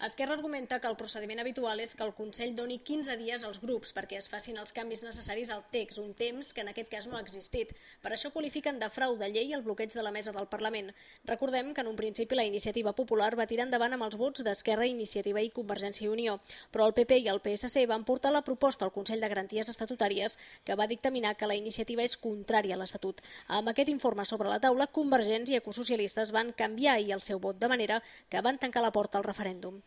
Esquerra argumenta que el procediment habitual és que el Consell doni 15 dies als grups perquè es facin els canvis necessaris al text, un temps que en aquest cas no ha existit. Per això qualifiquen de frau de llei el bloqueig de la mesa del Parlament. Recordem que en un principi la Iniciativa Popular va tirar endavant amb els vots d'Esquerra, Iniciativa i Convergència i Unió, però el PP i el PSC van portar la proposta al Consell de Garanties Estatutàries que va dictaminar que la iniciativa és contrària a l'Estatut. Amb aquest informe sobre la taula, Convergents i Ecosocialistes van canviar ahir el seu vot de manera que van tancar la porta al referèndum.